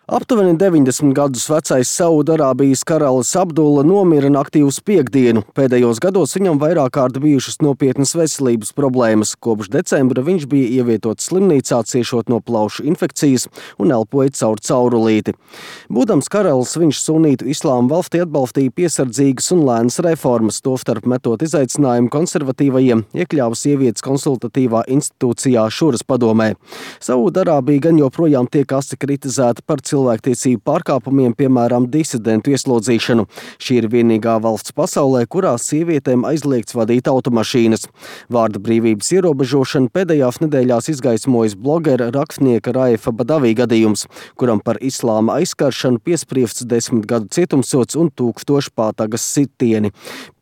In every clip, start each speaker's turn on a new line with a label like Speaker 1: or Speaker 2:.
Speaker 1: Aptuveni 90 gadus vecais Saudarābijas karalis Abdulla nomira naktī uz piektdienu. Pēdējos gados viņam vairāk kārt bijušas nopietnas veselības problēmas. Kopš decembra viņš bija ievietots slimnīcā, ciešot no plaušu infekcijas un elpoja caur caurulīti. Būdams karalis, viņš sunītu islāma valstī atbalstīja piesardzīgas un lēnas reformas, tostarp metot izaicinājumu konservatīvajiem, iekļāva sievietes konsultatīvā institūcijā Šuras padomē. Saudarābija gan joprojām tiek asi kritizēta par cilvēktiesību pārkāpumiem, piemēram, disidentu ieslodzīšanu. Šī ir vienīgā valsts pasaulē, kurā sievietēm aizliegts vadīt automašīnas. Vārda brīvības ierobežošana pēdējās nedēļās izgaismojas blogera rakstnieka Raifa Badavī gadījums, kuram par islāma aizskaršanu piespriests 10 gadu cietumsods un 1000 pātagas sitieni.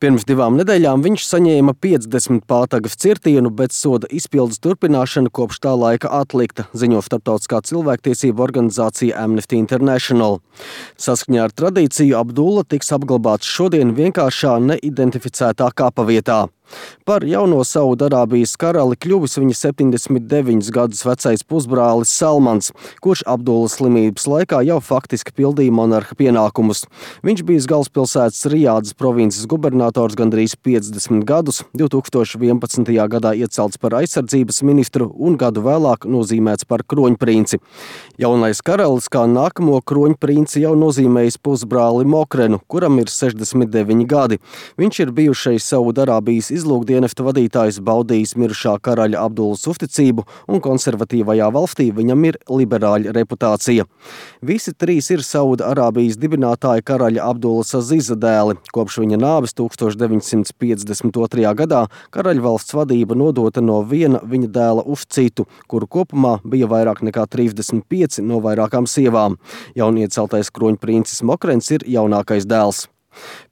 Speaker 1: Pirms 2 nedēļām viņš saņēma 50 pātagas cirtienu, bet soda izpildes turpināšana kopš tā laika atlikta, ziņo starptautiskā cilvēktiesību organizācija Amnesty International. Saskaņā ar tradīciju Abdulla tiks apglabāts šodien vienkāršā neidentificētā kapavietā. Par jauno Saudarābijas karali kļuvis viņa 79 gadus vecais pusbrālis Salmans, kurš Abdullas slimības laikā jau faktiski pildīja monarha pienākumus. Viņš bija galvaspilsētas Rijādas provinces gubernators gandrīz 50 gadus, 2011. gadā iecelts par aizsardzības ministru un gadu vēlāk nozīmēts par kroņprinci. Jaunais karalis kā nākamo kroņprinci jau nozīmējis pusbrāli Mokrenu, kuram ir 69 gadi. Viņš ir bijušais Saudarābijas izlūkdienesta vadītājs, baudījis mirušā karaļa Abdullas uzticību, un konservatīvajā valstī viņam ir liberāļa reputācija. Visi 3 ir Saudarābijas dibinātāja karaļa Abdullas Aziza dēli. Kopš viņa nāves 1952. gadā karaļvalsts vadība nodota no viena viņa dēla uz citu, kuru kopumā bija vairāk nekā 35 no vairākām sievām. Jaunieceltais kroņprincis Mokrens ir jaunākais dēls.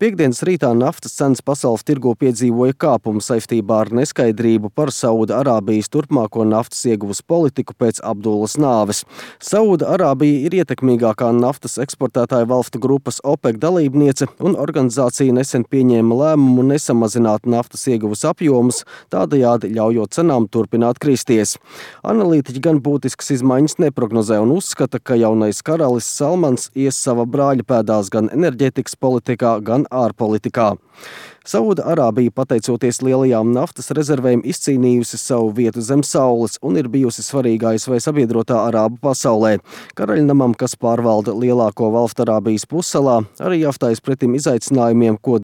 Speaker 1: Piektdienas rītā naftas cenas pasaules tirgo piedzīvoja kāpumu saistībā ar neskaidrību par Saudarābijas turpmāko naftas ieguves politiku pēc Abdullas nāves. Saudarābija ir ietekmīgākā naftas eksportētāja valstu grupas OPEC dalībniece, un organizācija nesen pieņēma lēmumu nesamazināt naftas ieguves apjomus, tādējādi ļaujot cenām turpināt kristies. Analītiķi gan būtiskas izmaiņas neprognozē un uzskata, ka jaunais karalis Salmans ies sava brāļa pēdās gan enerģētikas politikā, gan ārpolitikā. Saudarābija, pateicoties lielajām naftas rezervēm, izcīnījusi savu vietu zem saules un ir bijusi svarīgā ASV sabiedrotā arābu pasaulē. Karaļnamam, kas pārvalda lielāko valstu Arābijas pussalā, arī jāstājas pretim izaicinājumiem, ko